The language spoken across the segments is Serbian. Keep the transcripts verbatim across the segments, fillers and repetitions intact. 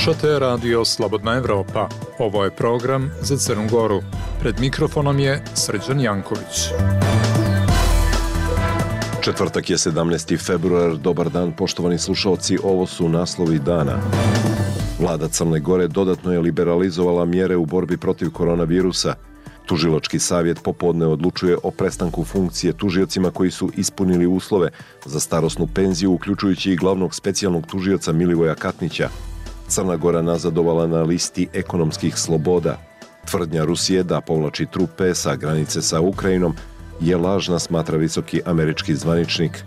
Slušate Radio Slobodna Evropa. Ovo je program za Crnu Goru. Pred mikrofonom je Srđan Janković. Četvrtak je sedamnaesti februar. Dobar dan, poštovani slušalci. Ovo su naslovi dana. Vlada Crne Gore dodatno je liberalizovala mjere u borbi protiv koronavirusa. Tužilački savjet popodne odlučuje o prestanku funkcije tužiocima koji su ispunili uslove za starosnu penziju, uključujući i glavnog specijalnog tužioca Milivoja Katnića. Crna Gora nazadovala na listi ekonomskih sloboda. Tvrdnja Rusije da povlači trupe sa granice sa Ukrajinom je lažna, smatra visoki američki zvaničnik.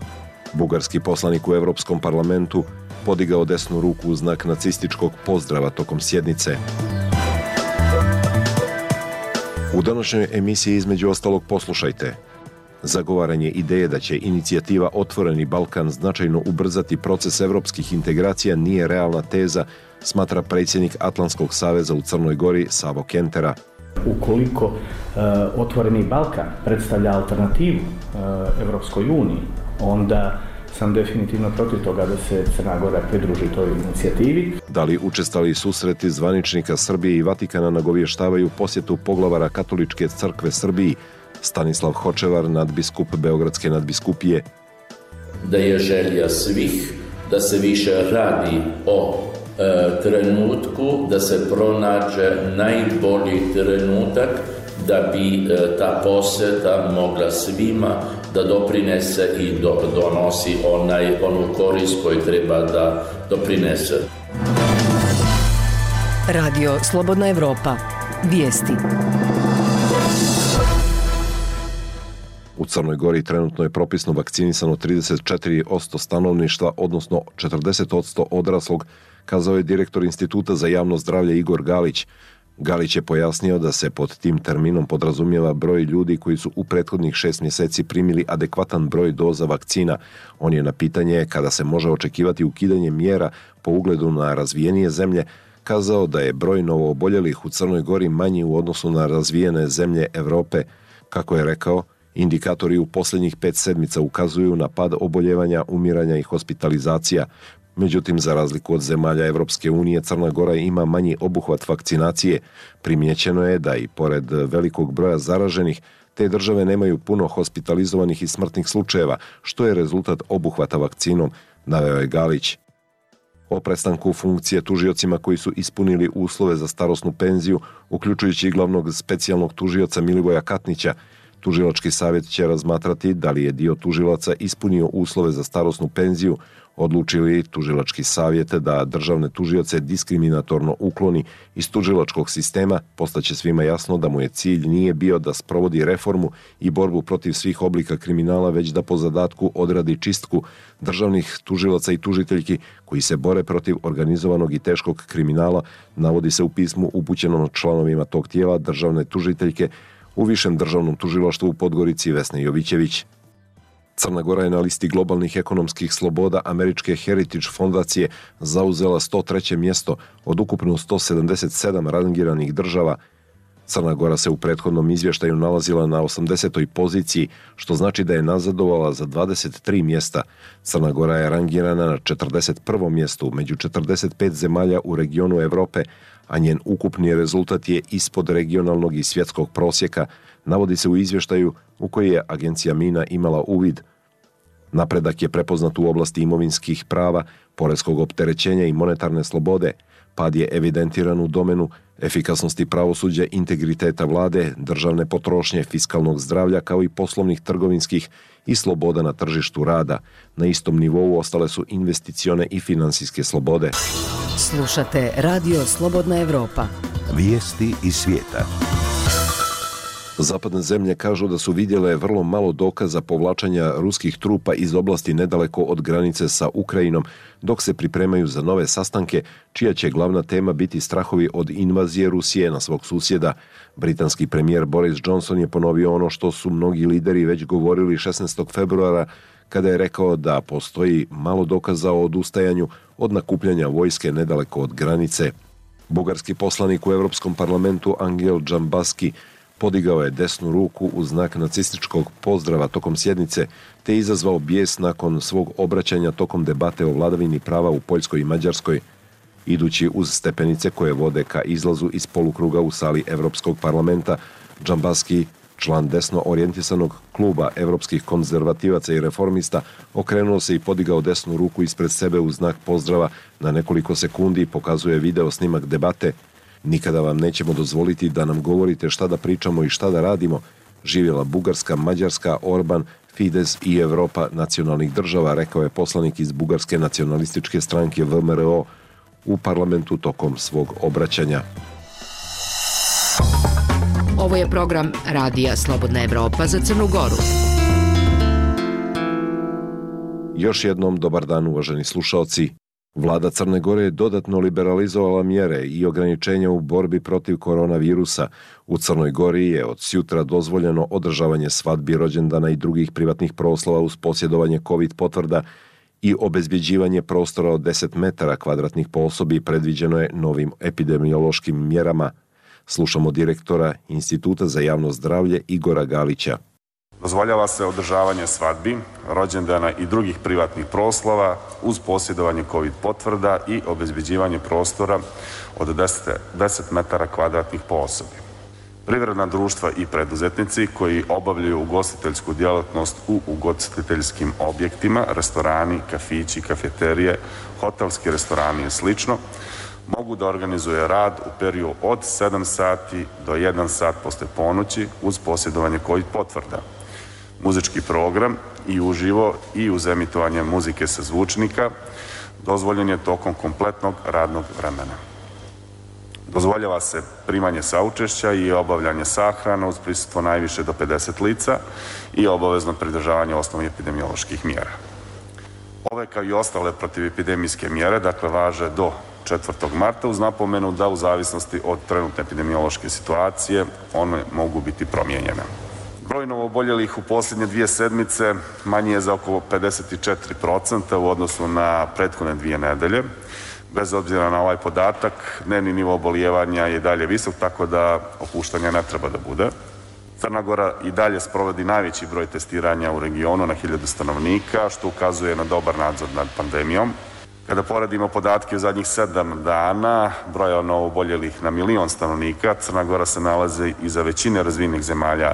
Bugarski poslanik u Evropskom parlamentu podigao desnu ruku u znak nacističkog pozdrava tokom sjednice. U današnjoj emisiji između ostalog poslušajte. Zagovaranje ideje da će inicijativa Otvoreni Balkan značajno ubrzati proces evropskih integracija nije realna teza, smatra predsjednik Atlantskog saveza u Crnoj Gori Savo Kentera. Ukoliko uh, Otvoreni Balkan predstavlja alternativu uh, Evropskoj uniji, onda sam definitivno protiv toga da se Crna Gora pridruži toj inicijativi. Da li učestali susreti zvaničnika Srbije i Vatikana nagovještavaju posjetu poglavara Katoličke crkve Srbiji? Stanislav Hočevar, nadbiskup Beogradske nadbiskupije. Da je želja svih da se više radi o e, trenutku, da se pronađe najbolji trenutak da bi e, ta posjeta mogla svima da doprinese i do, donosi onaj, onu korist koju treba da doprinese. Radio Slobodna Evropa. Vijesti. U Crnoj Gori trenutno je propisno vakcinisano trideset četiri posto stanovništva, odnosno četrdeset posto odraslog, kazao je direktor Instituta za javno zdravlje Igor Galić. Galić je pojasnio da se pod tim terminom podrazumijeva broj ljudi koji su u prethodnih šest mjeseci primili adekvatan broj doza vakcina. On je na pitanje kada se može očekivati ukidanje mjera po ugledu na razvijenije zemlje kazao da je broj novooboljelih u Crnoj Gori manji u odnosu na razvijene zemlje Evrope. Kako je rekao, indikatori u posljednjih pet sedmica ukazuju na pad oboljevanja, umiranja i hospitalizacija. Međutim, za razliku od zemalja Evropske unije, Crna Gora ima manji obuhvat vakcinacije. Primijećeno je da i pored velikog broja zaraženih, te države nemaju puno hospitalizovanih i smrtnih slučajeva, što je rezultat obuhvata vakcinom, naveo je Galić. O prestanku funkcije tužiocima koji su ispunili uslove za starosnu penziju, uključujući i glavnog specijalnog tužioca Milivoja Katnića, Tužilački savjet će razmatrati da li je dio tužilaca ispunio uslove za starosnu penziju, odlučili Tužilački savjet da državne tužioce diskriminatorno ukloni iz tužilačkog sistema, postaće svima jasno da mu je cilj nije bio da sprovodi reformu i borbu protiv svih oblika kriminala, već da po zadatku odradi čistku državnih tužilaca i tužiteljki koji se bore protiv organizovanog i teškog kriminala, navodi se u pismu upućenom članovima tog tijela državne tužiteljke u Višem državnom tužilaštvu u Podgorici Vesne Jovićević. Crna Gora je na listi globalnih ekonomskih sloboda američke Heritage fondacije zauzela sto treće mjesto od ukupno sto sedamdeset sedam rangiranih država. Crna Gora se u prethodnom izvještaju nalazila na osamdesetoj poziciji, što znači da je nazadovala za dvadeset tri mjesta. Crna Gora je rangirana na četrdeset prvom mjestu među četrdeset pet zemalja u regionu Evrope, a njen ukupni rezultat je ispod regionalnog i svjetskog prosjeka, navodi se u izvještaju u koji je agencija Mina imala uvid. Napredak je prepoznat u oblasti imovinskih prava, poreskog opterećenja i monetarne slobode. Pad je evidentiran u domenu efikasnosti pravosuđa, integriteta vlade, državne potrošnje, fiskalnog zdravlja kao i poslovnih, trgovinskih i sloboda na tržištu rada. Na istom nivou ostale su investicione i finansijske slobode. Slušate Radio Slobodna Evropa. Vijesti iz svijeta. Zapadne zemlje kažu da su vidjele vrlo malo dokaza povlačenja ruskih trupa iz oblasti nedaleko od granice sa Ukrajinom, dok se pripremaju za nove sastanke, čija će glavna tema biti strahovi od invazije Rusije na svog susjeda. Britanski premijer Boris Johnson je ponovio ono što su mnogi lideri već govorili šesnaestog februara, kada je rekao da postoji malo dokaza o odustajanju od nakupljanja vojske nedaleko od granice. Bugarski poslanik u Europskom parlamentu Angel Džambaski podigao je desnu ruku u znak nacističkog pozdrava tokom sjednice, te izazvao bijes nakon svog obraćanja tokom debate o vladavini prava u Poljskoj i Mađarskoj. Idući uz stepenice koje vode ka izlazu iz polukruga u sali Evropskog parlamenta, Džambaski, član desno orijentisanog kluba evropskih konzervativaca i reformista, okrenuo se i podigao desnu ruku ispred sebe u znak pozdrava. Na nekoliko sekundi pokazuje video snimak debate. Nikada vam nećemo dozvoliti da nam govorite šta da pričamo i šta da radimo. Živjela Bugarska, Mađarska, Orban, Fides i Evropa nacionalnih država, rekao je poslanik iz Bugarske nacionalističke stranke V M R O u parlamentu tokom svog obraćanja. Ovo je program Radija Slobodna Evropa za Crnu Goru. Još jednom dobar dan, uvaženi slušaoci. Vlada Crne Gore je dodatno liberalizovala mjere i ograničenja u borbi protiv koronavirusa. U Crnoj Gori je od sjutra dozvoljeno održavanje svadbi, rođendana i drugih privatnih proslava uz posjedovanje COVID potvrda i obezbjeđivanje prostora od deset metara kvadratnih po osobi predviđeno je novim epidemiološkim mjerama. Slušamo direktora Instituta za javno zdravlje Igora Galića. Dozvoljava se održavanje svadbi, rođendana i drugih privatnih proslava uz posjedovanje COVID potvrda i obezbeđivanje prostora od deset metara kvadratnih po osobi. Privredna društva i preduzetnici koji obavljaju ugostiteljsku djelatnost u ugostiteljskim objektima, restorani, kafići, kafeterije, hotelski restorani i slično, mogu da organizuje rad u periodu od sedam sati do jedan sat posle ponoći uz posjedovanje COVID potvrda. Muzički program i uživo i uz emitovanje muzike sa zvučnika dozvoljen je tokom kompletnog radnog vremena. Dozvoljava se primanje saučešća i obavljanje sahrana uz prisustvo najviše do pedeset lica i obavezno pridržavanje osnovnih epidemioloških mjera. Ove kao i ostale protivepidemijske mjere, dakle, važe do četvrtog marta uz napomenu da u zavisnosti od trenutne epidemiološke situacije one mogu biti promijenjene. Broj novooboljelih u posljednje dvije sedmice manji je za oko pedeset četiri posto u odnosu na prethodne dvije nedelje. Bez obzira na ovaj podatak, dnevni nivo obolijevanja je dalje visok, tako da opuštanja ne treba da bude. Crna Gora i dalje sprovodi najveći broj testiranja u regionu na hiljadu stanovnika, što ukazuje na dobar nadzor nad pandemijom. Kada poredimo podatke u zadnjih sedam dana, broja novooboljelih na milion stanovnika, Crna Gora se nalazi iza većine razvijenih zemalja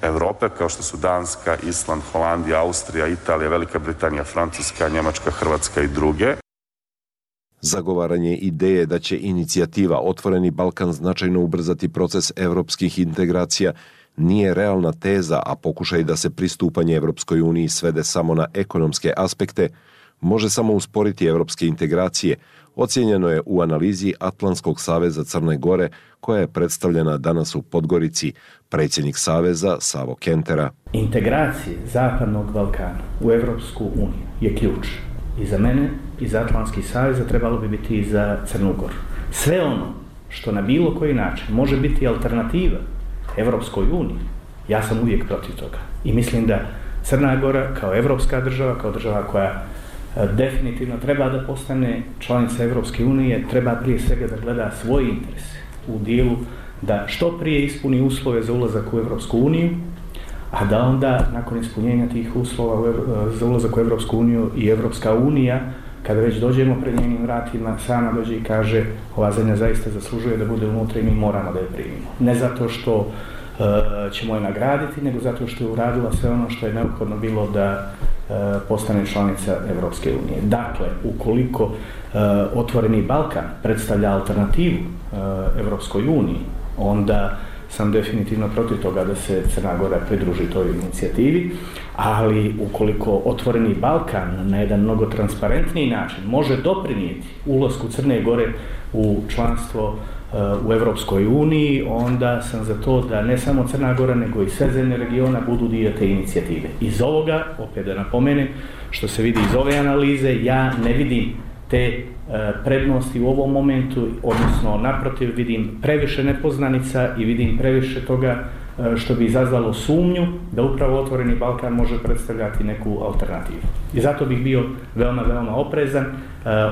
Evrope, kao što su Danska, Island, Holandija, Austrija, Italija, Velika Britanija, Francuska, Njemačka, Hrvatska i druge. Zagovaranje ideje da će inicijativa Otvoreni Balkan značajno ubrzati proces evropskih integracija nije realna teza, a pokušaj da se pristupanje Evropskoj uniji svede samo na ekonomske aspekte može samo usporiti evropske integracije, ocijenjeno je u analizi Atlantskog saveza Crne Gore, koja je predstavljena danas u Podgorici. Predsjednik saveza Savo Kentera. Integracije Zapadnog Balkana u Evropsku uniju je ključ. I za mene, i za Atlantski savez, trebalo bi biti i za Crnu Goru. Sve ono što na bilo koji način može biti alternativa Evropskoj uniji, ja sam uvijek protiv toga. I mislim da Crna Gora kao evropska država, kao država koja definitivno treba da postane članica Evropske unije, treba prije svega da gleda svoje interese u dijelu da što prije ispuni uslove za ulazak u Evropsku uniju, a da onda nakon ispunjenja tih uslova za ulazak u Evropsku uniju i Evropska unija, kada već dođemo pred njenim vratima, sama dođe i kaže ova zemlja zaista zaslužuje da bude unutra i mi moramo da je primimo. Ne zato što uh, ćemo je nagraditi, nego zato što je uradila sve ono što je neophodno bilo da uh, postane članica Evropske unije. Dakle, ukoliko uh, Otvoreni Balkan predstavlja alternativu uh, Evropskoj uniji, onda sam definitivno protiv toga da se Crna Gora pridruži toj inicijativi, ali ukoliko Otvoreni Balkan na jedan mnogo transparentniji način može doprinijeti ulasku Crne Gore u članstvo uh, u Evropskoj uniji, onda sam za to da ne samo Crna Gora, nego i sve zemlje regiona budu dio te inicijative. Iz ovoga, opet da napomenem, što se vidi iz ove analize, ja ne vidim te prednosti u ovom momentu, odnosno naprotiv vidim previše nepoznanica i vidim previše toga što bi izazvalo sumnju da upravo Otvoreni Balkan može predstavljati neku alternativu. I zato bih bio veoma, veoma oprezan.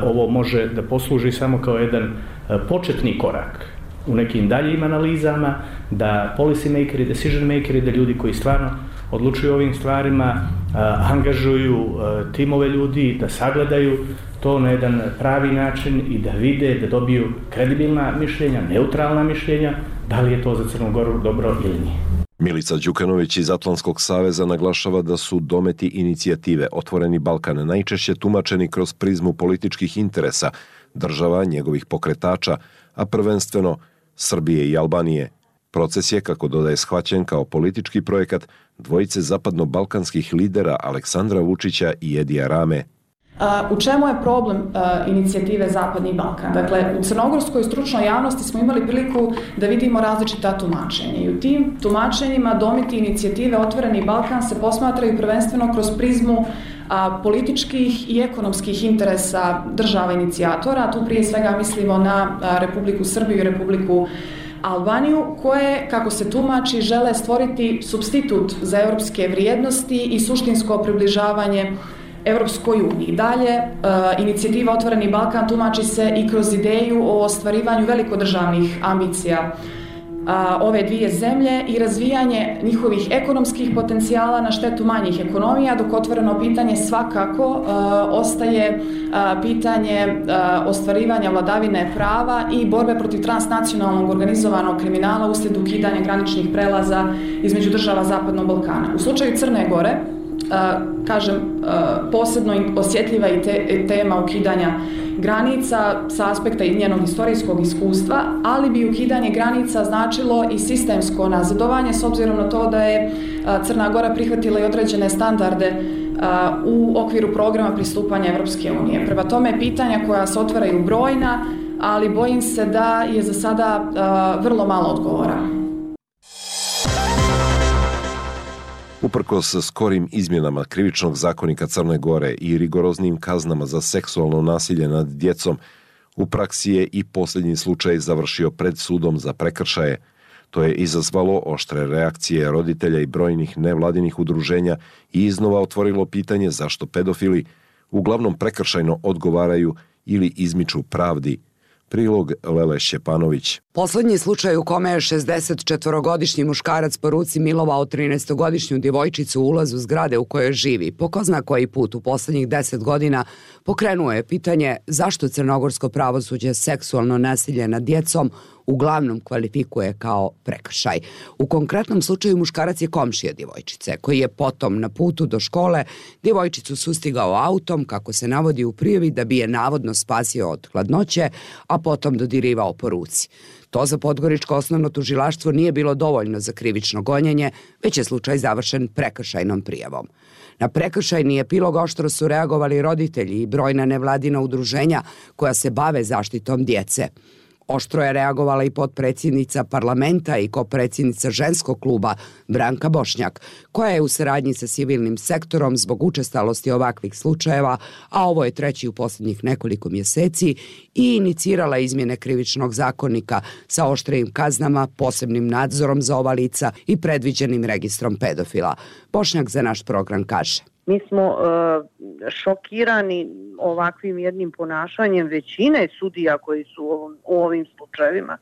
Ovo može da posluži samo kao jedan početni korak u nekim daljim analizama, da policy makeri, decision makeri, da ljudi koji stvarno odlučuju o ovim stvarima, angažuju timove ljudi, da sagledaju to na jedan pravi način i da vide, da dobiju kredibilna mišljenja, neutralna mišljenja, da li je to za Crnu Goru dobro ili nije. Milica Đukanović iz Atlantskog saveza naglašava da su dometi inicijative Otvoreni Balkan najčešće tumačeni kroz prizmu političkih interesa, država, njegovih pokretača, a prvenstveno Srbije i Albanije. Proces je, kako dodaje, shvaćen kao politički projekat dvojice zapadno-balkanskih lidera Aleksandra Vučića i Edija Rame. U čemu je problem uh, inicijative Zapadni Balkan? Dakle, u crnogorskoj stručnoj javnosti smo imali priliku da vidimo različita tumačenja i u tim tumačenjima dometi inicijative Otvoreni Balkan se posmatraju prvenstveno kroz prizmu uh, političkih i ekonomskih interesa država inicijatora. Tu prije svega mislimo na uh, Republiku Srbiju i Republiku Albaniju, koje, kako se tumači, žele stvoriti supstitut za europske vrijednosti i suštinsko približavanje Evropskoj uniji. Dalje, e, inicijativa Otvoreni Balkan tumači se i kroz ideju o ostvarivanju velikodržavnih ambicija a, ove dvije zemlje i razvijanje njihovih ekonomskih potencijala na štetu manjih ekonomija, dok otvoreno pitanje svakako a, ostaje a, pitanje a, ostvarivanja vladavine prava i borbe protiv transnacionalnog organizovanog kriminala uslijed ukidanja graničnih prelaza između država Zapadnog Balkana. U slučaju Crne Gore, Uh, kažem, uh, posebno osjetljiva i te, tema ukidanja granica sa aspekta i njenog historijskog iskustva, ali bi ukidanje granica značilo i sistemsko nazadovanje s obzirom na to da je uh, Crna Gora prihvatila i određene standarde uh, u okviru programa pristupanja Evropske unije. Prema tome, pitanja koja se otvaraju brojna, ali bojim se da je za sada uh, vrlo malo odgovora. Uprkos skorim izmjenama krivičnog zakonika Crne Gore i rigoroznim kaznama za seksualno nasilje nad djecom, u praksi je i posljednji slučaj završio pred sudom za prekršaje. To je izazvalo oštre reakcije roditelja i brojnih nevladinih udruženja i iznova otvorilo pitanje zašto pedofili uglavnom prekršajno odgovaraju ili izmiču pravdi. Prilog Lele Šćepanović. Poslednji slučaj u kome je šezdesetčetvorogodišnji muškarac po ruci milovao trinaestogodišnju djevojčicu u ulazu zgrade u kojoj živi, po ko zna koji put u poslednjih deset godina, pokrenuo je pitanje zašto crnogorsko pravosuđe seksualno nasilje nad djecom uglavnom kvalifikuje kao prekršaj. U konkretnom slučaju muškarac je komšija djevojčice, koji je potom na putu do škole djevojčicu sustigao autom, kako se navodi u prijavi, da bi je navodno spasio od hladnoće, a potom dodirivao po ruci. To za Podgoričko osnovno tužilaštvo nije bilo dovoljno za krivično gonjenje, već je slučaj završen prekršajnom prijavom. Na prekršajni epilog oštro su reagovali roditelji i brojna nevladina udruženja koja se bave zaštitom djece. Oštro je reagovala i potpredsjednica parlamenta i kopredsjednica ženskog kluba Branka Bošnjak, koja je u saradnji sa civilnim sektorom zbog učestalosti ovakvih slučajeva, a ovo je treći u posljednjih nekoliko mjeseci, i inicirala izmjene krivičnog zakonika sa oštrijim kaznama, posebnim nadzorom za ova lica i predviđenim registrom pedofila. Bošnjak za naš program kaže: Mi smo uh, šokirani ovakvim jednim ponašanjem većine sudija koji su u, ovom, u ovim slučajevima,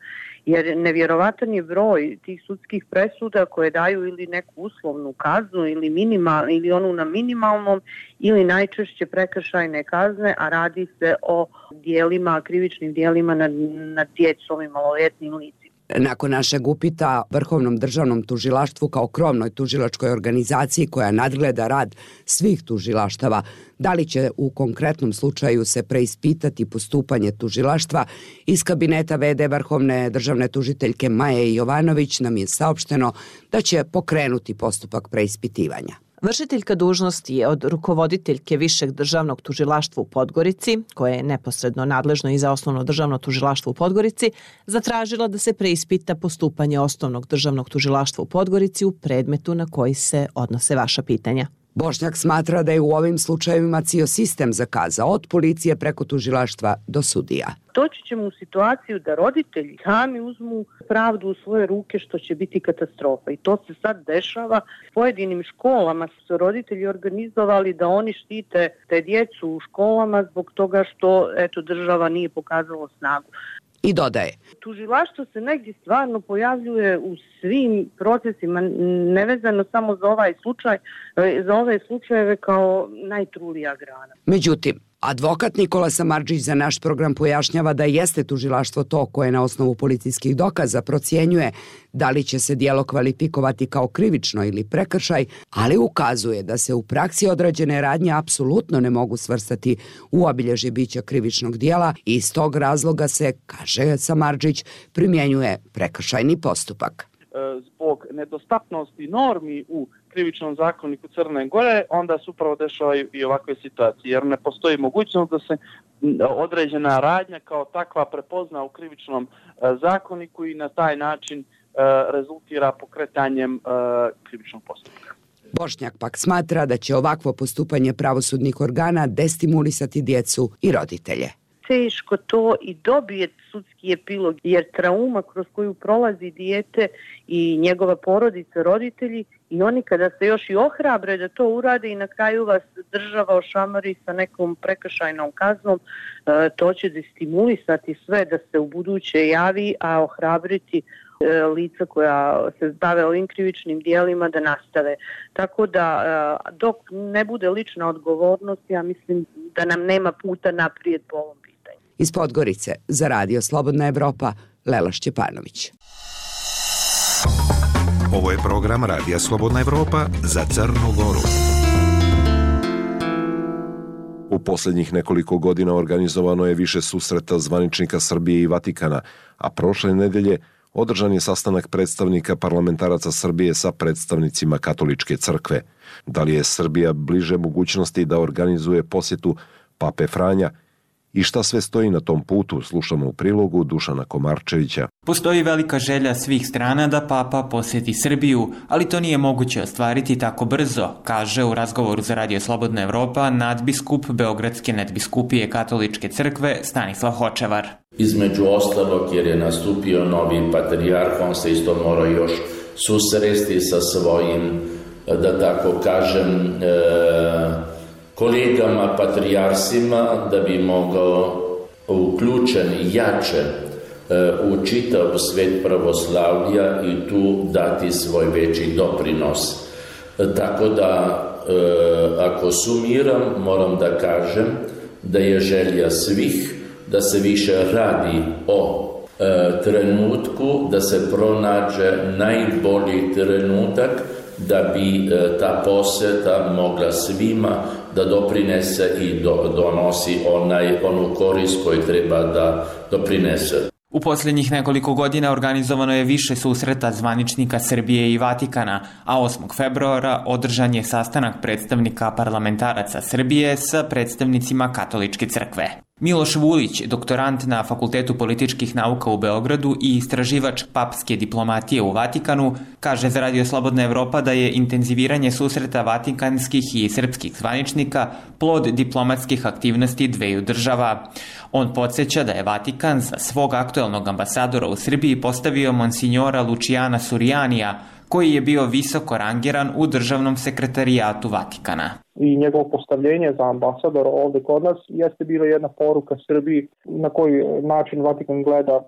jer nevjerovatan je broj tih sudskih presuda koje daju ili neku uslovnu kaznu ili, minimal, ili onu na minimalnom ili najčešće prekršajne kazne, a radi se o dijelima, krivičnim dijelima nad, nad djecom i maloljetnim licima. Nakon našeg upita Vrhovnom državnom tužilaštvu kao krovnoj tužilačkoj organizaciji koja nadgleda rad svih tužilaštava, da li će u konkretnom slučaju se preispitati postupanje tužilaštva, iz kabineta ve de Vrhovne državne tužiteljke Maje Jovanović nam je saopšteno da će pokrenuti postupak preispitivanja. Vršiteljka dužnosti je od rukovoditeljke Višeg državnog tužilaštva u Podgorici, koje je neposredno nadležno i za Osnovno državno tužilaštvo u Podgorici, zatražila da se preispita postupanje Osnovnog državnog tužilaštva u Podgorici u predmetu na koji se odnose vaša pitanja. Bošnjak smatra da je u ovim slučajevima cijel sistem zakazao, od policije preko tužilaštva do sudija. Doći ćemo u situaciju da roditelji sami uzmu pravdu u svoje ruke, što će biti katastrofa. I to se sad dešava. S pojedinim školama su roditelji organizovali da oni štite te djecu u školama zbog toga što eto, država nije pokazala snagu. I dodaje: Tužilaštvo se negdje stvarno pojavljuje u svim procesima, nevezano samo za ovaj slučaj, za ove slučajeve kao najtrulija grana. Međutim, advokat Nikola Samardžić za naš program pojašnjava da jeste tužilaštvo to koje na osnovu policijskih dokaza procjenjuje da li će se djelo kvalifikovati kao krivično ili prekršaj, ali ukazuje da se u praksi odrađene radnje apsolutno ne mogu svrstati u obilježje bića krivičnog djela i iz tog razloga se, kaže Samardžić, primjenjuje prekršajni postupak. Zbog nedostatnosti normi u krivičnom zakoniku Crne Gore, onda se upravo dešavaju i ovakve situacije, jer ne postoji mogućnost da se određena radnja kao takva prepozna u krivičnom zakoniku i na taj način rezultira pokretanjem krivičnog postupka. Bošnjak pak smatra da će ovakvo postupanje pravosudnih organa destimulisati djecu i roditelje. Teško to i dobije sudski epilog, jer trauma kroz koju prolazi dijete i njegova porodica, roditelji, i oni kada se još i ohrabre da to urade i na kraju vas država ošamari sa nekom prekršajnom kaznom, to će destimulisati sve da se u buduće javi, a ohrabriti lica koja se bave ovim krivičnim dijelima da nastave. Tako da dok ne bude lična odgovornost, ja mislim da nam nema puta naprijed po ovom pitanju. Iz Podgorice za Radio Slobodna Evropa, Lela Šćepanović. Ovo je program Radija Slobodna Evropa za Crnu Goru. U posljednjih nekoliko godina organizovano je više susreta zvaničnika Srbije i Vatikana, a prošle nedelje održan je sastanak predstavnika parlamentaraca Srbije sa predstavnicima Katoličke crkve. Da li je Srbija bliže mogućnosti da organizuje posjetu Pape Franja i šta sve stoji na tom putu, slušamo u prilogu Dušana Komarčevića. Postoji velika želja svih strana da Papa posjeti Srbiju, ali to nije moguće ostvariti tako brzo, kaže u razgovoru za Radio Slobodna Evropa nadbiskup Beogradske nadbiskupije Katoličke crkve Stanislav Hočevar. Između ostalog, jer je nastupio novi patrijarh, on se isto mora još susresti sa svojim, da tako kažem, e, kolegama patrijarsima, da bi mogao uključen jače u čitav svet pravoslavlja i tu dati svoj veći doprinos. Tako da, ako sumiram, moram da kažem da je želja svih da se više radi o trenutku, da se pronađe najbolji trenutak da bi ta poseta mogla svima da doprinese i do, donosi onaj, onu korist koju treba da doprinese. U posljednjih nekoliko godina organizovano je više susreta zvaničnika Srbije i Vatikana, a osmog februara održan je sastanak predstavnika parlamentaraca Srbije sa predstavnicima Katoličke crkve. Miloš Vulić, doktorant na Fakultetu političkih nauka u Beogradu i istraživač papske diplomatije u Vatikanu, kaže za Radio Slobodna Evropa da je intenziviranje susreta vatikanskih i srpskih zvaničnika plod diplomatskih aktivnosti dveju država. On podsjeća da je Vatikan za svog aktuelnog ambasadora u Srbiji postavio monsinjora Lučijana Surijanija, koji je bio visoko rangiran u državnom sekretarijatu Vatikana. I njegovo postavljenje za ambasadora ovdje kod nas jeste bila jedna poruka Srbiji na koji način Vatikan gleda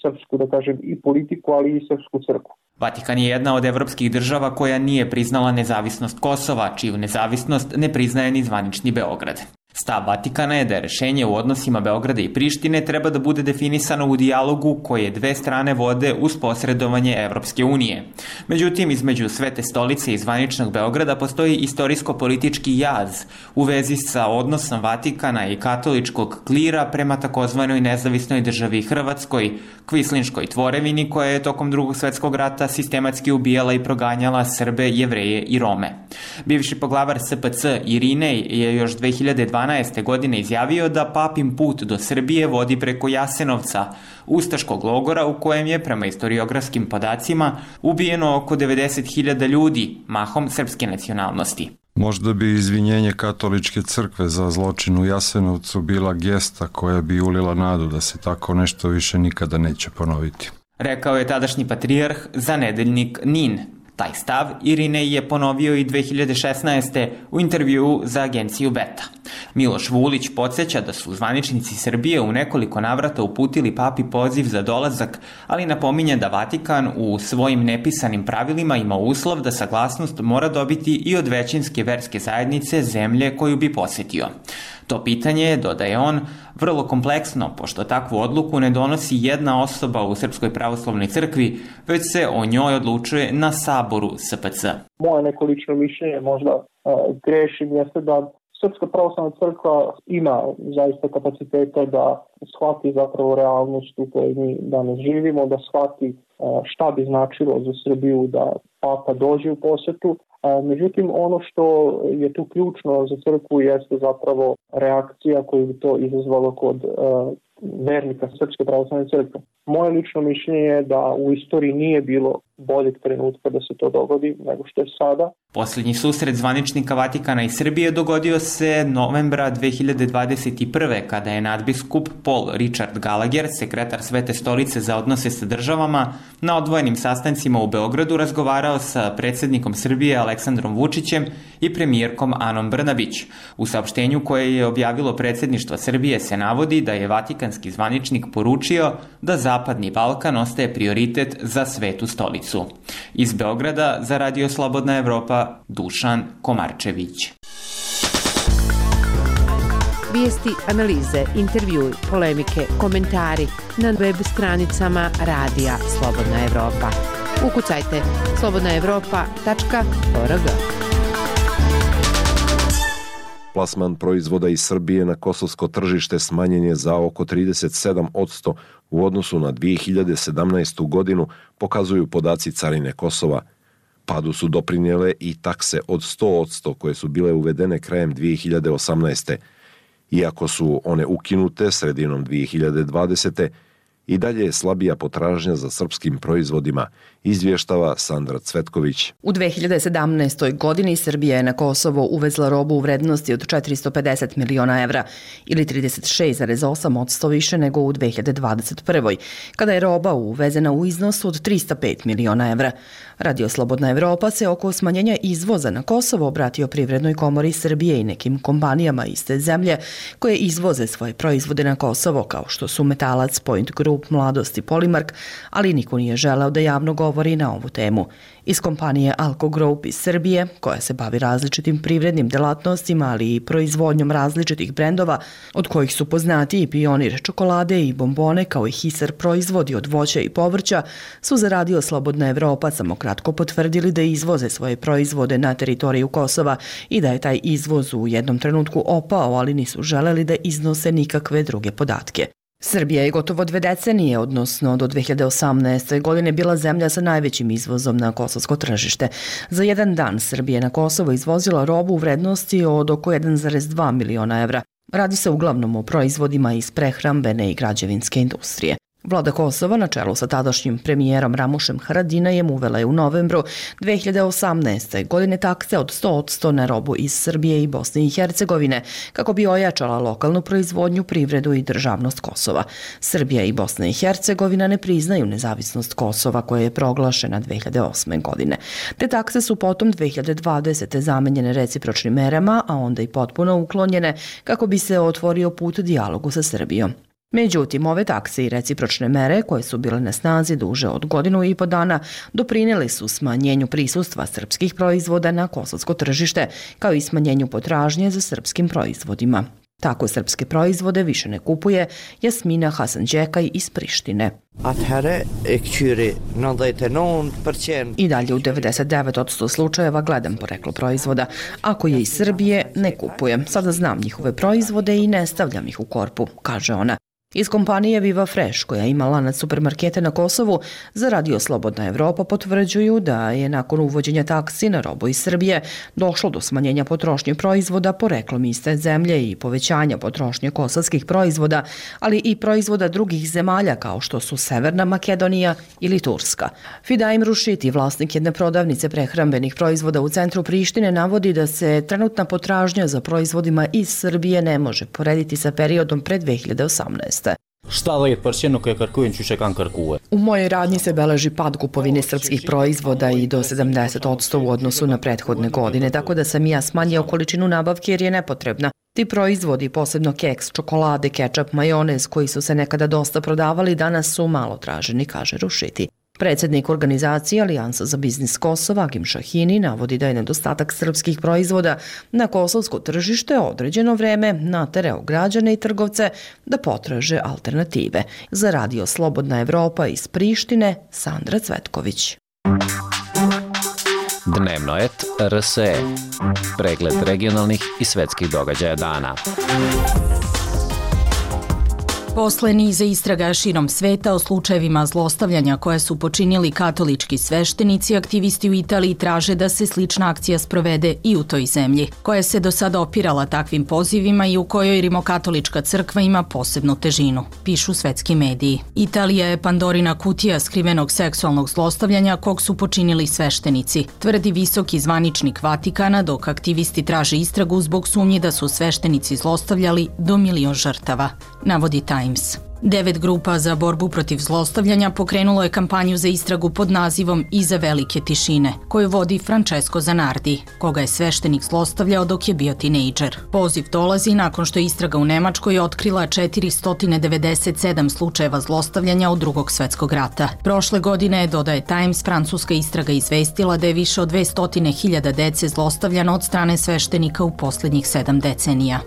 srpsku, da kažem, i politiku, ali i srpsku crkvu. Vatikan je jedna od evropskih država koja nije priznala nezavisnost Kosova, čiju nezavisnost ne priznaje ni zvanični Beograd. Stav Vatikana je da rešenje u odnosima Beograda i Prištine treba da bude definisano u dijalogu koje dve strane vode uz posredovanje Evropske unije. Međutim, između Svete stolice i zvaničnog Beograda postoji istorijsko-politički jaz u vezi sa odnosom Vatikana i katoličkog klira prema takozvanoj nezavisnoj državi Hrvatskoj, kvislinškoj tvorevini koja je tokom drugog svetskog rata sistematski ubijala i proganjala Srbe, Jevreje i Rome. Bivši poglavar S P C Irinej je još dve hiljade dvanaeste. godine izjavio da papin put do Srbije vodi preko Jasenovca, ustaškog logora u kojem je, prema istoriografskim podacima, ubijeno oko devedeset hiljada ljudi, mahom srpske nacionalnosti. Možda bi izvinjenje Katoličke crkve za zločin u Jasenovcu bila gesta koja bi ulila nadu da se tako nešto više nikada neće ponoviti. Rekao je tadašnji patrijarh za nedeljnik Nin. Taj stav Irinej je ponovio i dve hiljade šesnaeste. u intervjuu za agenciju Beta. Miloš Vulić podsjeća da su zvaničnici Srbije u nekoliko navrata uputili papi poziv za dolazak, ali napominje da Vatikan u svojim nepisanim pravilima ima uslov da saglasnost mora dobiti i od većinske verske zajednice zemlje koju bi posjetio. To pitanje je, dodaje on, vrlo kompleksno, pošto takvu odluku ne donosi jedna osoba u Srpskoj pravoslavnoj crkvi, već se o njoj odlučuje na saboru S P C. Moje neko lično mišljenje, možda uh, grešim, jeste da Srpska pravoslavna crkva ima zaista kapaciteta da shvati zapravo realnost u kojoj mi danas živimo, da shvati uh, šta bi značilo za Srbiju da papa dođe u posetu. Međutim, ono što je tu ključno za crkvu jeste zapravo reakcija koju bi to izazvalo kod uh, vernika Srpske pravoslavne crkve. Moje lično mišljenje je da u istoriji nije bilo boljeg trenutka da se to dogodi nego što je sada. Posljednji susret zvaničnika Vatikana i Srbije dogodio se novembra dve hiljade dvadeset prve. kada je nadbiskup Paul Richard Gallagher, sekretar Svete stolice za odnose sa državama, na odvojenim sastancima u Beogradu razgovarao sa predsjednikom Srbije Aleksandrom Vučićem i premijerkom Anom Brnabić. U saopštenju koje je objavilo predsjedništvo Srbije se navodi da je vatikanski zvaničnik poručio da Zapadni Balkan ostaje prioritet za Svetu stolicu. Iz Beograda za Radio Slobodna Evropa, Dušan Komarčević. Vijesti, analize, intervjui, polemike, komentari na web stranicama Radija Slobodna Evropa. Ukucajte slobodna evropa tačka org. Plasman proizvoda iz Srbije na kosovsko tržište smanjen je za oko trideset sedam posto u odnosu na dve hiljade sedamnaestu. godinu, pokazuju podaci Carine Kosova. Padu su doprinijele i takse od sto posto koje su bile uvedene krajem dve hiljade osamnaeste. Iako su one ukinute sredinom dve hiljade dvadesete. I dalje je slabija potražnja za srpskim proizvodima, izvještava Sandra Cvetković. U dve hiljade sedamnaestoj. godini Srbija je na Kosovo uvezla robu u vrednosti od četiristo pedeset miliona evra ili trideset šest zarez osam posto više nego u dve hiljade dvadeset prvoj. kada je roba uvezena u iznosu od tristo pet miliona evra. Radio Slobodna Evropa se oko smanjenja izvoza na Kosovo obratio Privrednoj komori Srbije i nekim kompanijama iste zemlje koje izvoze svoje proizvode na Kosovo, kao što su Metalac, Point Group, Mladost i Polimark, ali niko nije želeo da javno govori na ovu temu. Iz kompanije Alko Group iz Srbije, koja se bavi različitim privrednim delatnostima, ali i proizvodnjom različitih brendova, od kojih su poznati i Pionir čokolade i bombone, kao i Hisar proizvodi od voća i povrća, su za Radio Slobodna Evropa samo kratko potvrdili da izvoze svoje proizvode na teritoriju Kosova i da je taj izvoz u jednom trenutku opao, ali nisu želeli da iznose nikakve druge podatke. Srbija je gotovo dve decenije, odnosno do dve hiljade osamnaeste. godine bila zemlja sa najvećim izvozom na kosovsko tržište. Za jedan dan Srbija je na Kosovo izvozila robu u vrednosti od oko jedan zarez dva miliona evra. Radi se uglavnom o proizvodima iz prehrambene i građevinske industrije. Vlada Kosova na čelu sa tadašnjim premijerom Ramušem Haradinajem uvela je u novembru dve hiljade osamnaeste. godine takse od sto posto na robu iz Srbije i Bosne i Hercegovine, kako bi ojačala lokalnu proizvodnju, privredu i državnost Kosova. Srbija i Bosna i Hercegovina ne priznaju nezavisnost Kosova, koja je proglašena dve hiljade osme. godine. Te takse su potom dve hiljade dvadesete. zamenjene recipročnim merama, a onda i potpuno uklonjene, kako bi se otvorio put dijalogu sa Srbijom. Međutim, ove takse i recipročne mere, koje su bile na snazi duže od godinu i po dana, doprinijeli su smanjenju prisustva srpskih proizvoda na kosovsko tržište, kao i smanjenju potražnje za srpskim proizvodima. Tako srpske proizvode više ne kupuje Jasmina Hasanđekaj iz Prištine. I dalje u devedeset devet posto slučajeva gledam poreklo proizvoda. Ako je iz Srbije, ne kupujem. Sada znam njihove proizvode i ne stavljam ih u korpu, kaže ona. Iz kompanije Viva Fresh, koja ima lanac supermarkete na Kosovu, za Radio Slobodna Evropa potvrđuju da je nakon uvođenja taksi na robu iz Srbije došlo do smanjenja potrošnje proizvoda poreklom iste zemlje i povećanja potrošnje kosovskih proizvoda, ali i proizvoda drugih zemalja kao što su Severna Makedonija ili Turska. Fidaim Rušiti, vlasnik jedne prodavnice prehrambenih proizvoda u centru Prištine, navodi da se trenutna potražnja za proizvodima iz Srbije ne može porediti sa periodom pre dve hiljade osamnaeste. sedemdesiat posto koje kërkujnë që që kanë kërkue. U mojoj radnji se beleži pad kupovine srpskih proizvoda i do sedamdeset posto u odnosu na prethodne godine, tako da sam ja smanjio količinu nabavke jer je nepotrebna. Ti proizvodi, posebno keks, čokolade, kečap, majonez, koji su se nekada dosta prodavali, danas su malo traženi, kaže Rušiti. Predsednik organizacije Alijansa za biznis Kosova, Agim Šahini, navodi da je nedostatak srpskih proizvoda na kosovsko tržište određeno vreme naterao građane i trgovce da potraže alternative. Za Radio Slobodna Evropa iz Prištine, Sandra Cvetković. Dnevno et R S E. Pregled regionalnih i svetskih događaja dana. Posle niza istraga širom sveta o slučajevima zlostavljanja koje su počinili katolički sveštenici, aktivisti u Italiji traže da se slična akcija sprovede i u toj zemlji, koja se do sada opirala takvim pozivima i u kojoj rimokatolička crkva ima posebnu težinu, pišu svetski mediji. Italija je Pandorina kutija skrivenog seksualnog zlostavljanja kog su počinili sveštenici, tvrdi visoki zvaničnik Vatikana, dok aktivisti traže istragu zbog sumnji da su sveštenici zlostavljali do milion žrtava, navodi Times. Devet grupa za borbu protiv zlostavljanja pokrenulo je kampanju za istragu pod nazivom Iza velike tišine, koju vodi Francesco Zanardi, koga je sveštenik zlostavljao dok je bio tinejdžer. Poziv dolazi nakon što je istraga u Nemačkoj otkrila četiristo devedeset sedam slučajeva zlostavljanja od Drugog svetskog rata. Prošle godine, dodaje Times, francuska istraga izvestila da je više od dvesta hiljada dece zlostavljano od strane sveštenika u poslednjih sedam decenija.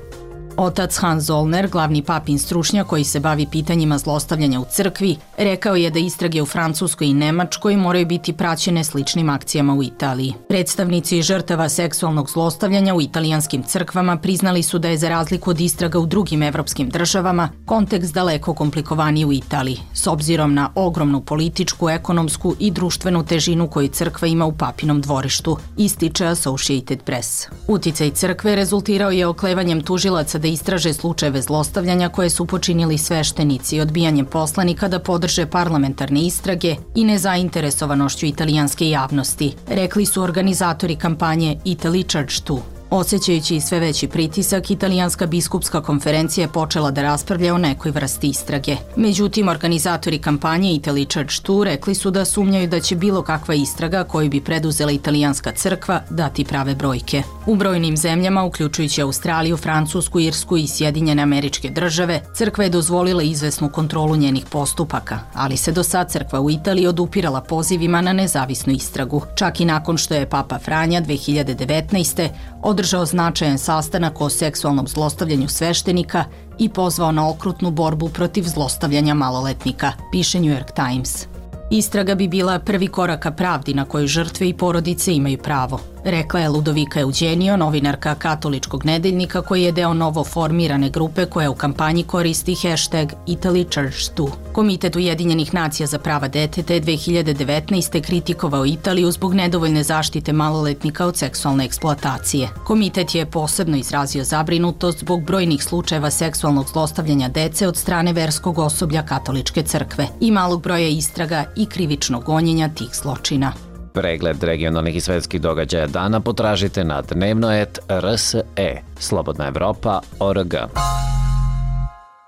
Otac Hans Zollner, glavni papin stručnjak koji se bavi pitanjima zlostavljanja u crkvi, rekao je da istrage u Francuskoj i Nemačkoj moraju biti praćene sličnim akcijama u Italiji. Predstavnici žrtava seksualnog zlostavljanja u italijanskim crkvama priznali su da je za razliku od istraga u drugim evropskim državama kontekst daleko komplikovaniji u Italiji, s obzirom na ogromnu političku, ekonomsku i društvenu težinu koju crkva ima u papinom dvorištu, ističe Associated Press. Uticaj crkve rezultirao je oklevanjem tužilaca da istraže slučajeve zlostavljanja koje su počinili sveštenici, odbijanjem poslanika da podrže parlamentarne istrage i nezainteresovanošću italijanske javnosti, rekli su organizatori kampanje Italy Church dva. Osjećajući sve veći pritisak, italijanska biskupska konferencija je počela da raspravlja o nekoj vrsti istrage. Međutim, organizatori kampanje Italy Church dva rekli su da sumnjaju da će bilo kakva istraga koju bi preduzela italijanska crkva dati prave brojke. U brojnim zemljama, uključujući Australiju, Francusku, Irsku i Sjedinjene Američke Države, crkva je dozvolila izvesnu kontrolu njenih postupaka, ali se do sad crkva u Italiji odupirala pozivima na nezavisnu istragu. Čak i nakon što je Papa Franja dve hiljade devetnaeste. održao značajan sastanak o seksualnom zlostavljanju sveštenika i pozvao na okrutnu borbu protiv zlostavljanja maloletnika, piše New York Times. Istraga bi bila prvi korak ka pravdi na koju žrtve i porodice imaju pravo, rekla je Ludovika Eugenio, novinarka katoličkog nedeljnika koji je deo novo formirane grupe koja u kampanji koristi hashtag Italy Church dva. Komitet Ujedinjenih nacija za prava deteta je dve hiljade devetnaeste. kritikovao Italiju zbog nedovoljne zaštite maloletnika od seksualne eksploatacije. Komitet je posebno izrazio zabrinutost zbog brojnih slučajeva seksualnog zlostavljanja dece od strane verskog osoblja katoličke crkve i malog broja istraga i krivičnog gonjenja tih zločina. Pregled regionalnih i svetskih događaja dana potražite na dnevno et R S E, Slobodna Evropa, O R G.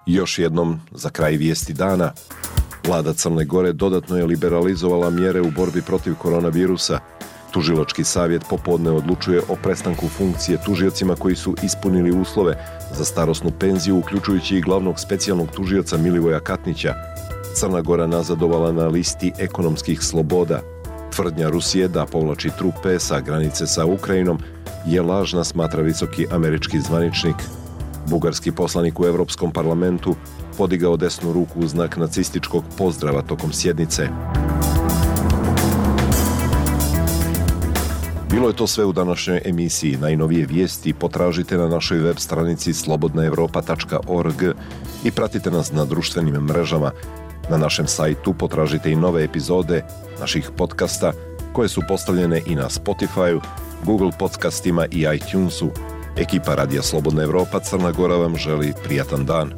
Još jednom, za kraj vijesti dana, vlada Crne Gore dodatno je liberalizovala mjere u borbi protiv koronavirusa. Tužilački savjet popodne odlučuje o prestanku funkcije tužiocima koji su ispunili uslove za starosnu penziju, uključujući i glavnog specijalnog tužioca Milivoja Katnića. Crna Gora nazadovala na listi ekonomskih sloboda. Tvrdnja Rusije da povlači trupe sa granice sa Ukrajinom je lažna, smatra visoki američki zvaničnik. Bugarski poslanik u Evropskom parlamentu podigao desnu ruku u znak nacističkog pozdrava tokom sjednice. Bilo je to sve u današnjoj emisiji. Najnovije vijesti potražite na našoj web stranici slobodna evropa tačka org i pratite nas na društvenim mrežama. Na našem sajtu potražite i nove epizode naših podcasta koje su postavljene i na Spotify, Google podcastima i iTunesu. Ekipa Radija Slobodna Evropa Crna Gora vam želi prijatan dan.